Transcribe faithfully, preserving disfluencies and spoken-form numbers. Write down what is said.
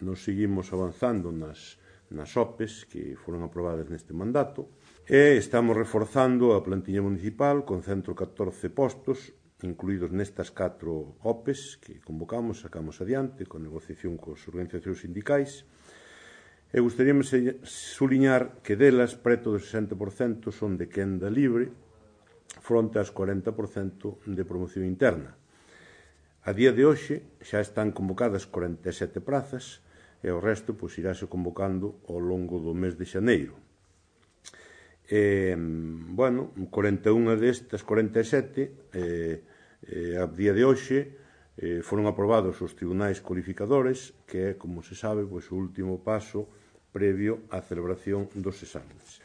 nos seguimos avanzando nas, nas O P E s que foron aprobadas neste mandato e estamos reforzando a plantilla municipal con ciento catorce postos incluídos nestas catro O P E s que convocamos, sacamos adiante con negociación cos organizacións sindicais. E gustaríame suliñar que delas preto do sesenta por cento son de quenda libre fronte ás cuarenta por cento de promoción interna. A día de hoxe xa están convocadas corenta e sete prazas e o resto pois, iráse convocando ao longo do mes de xaneiro. E, bueno, corenta e unha destas corenta e sete eh, eh, a día de hoxe eh, foron aprobados os tribunais cualificadores, que é, como se sabe, pois, o último paso previo á celebración dos exames.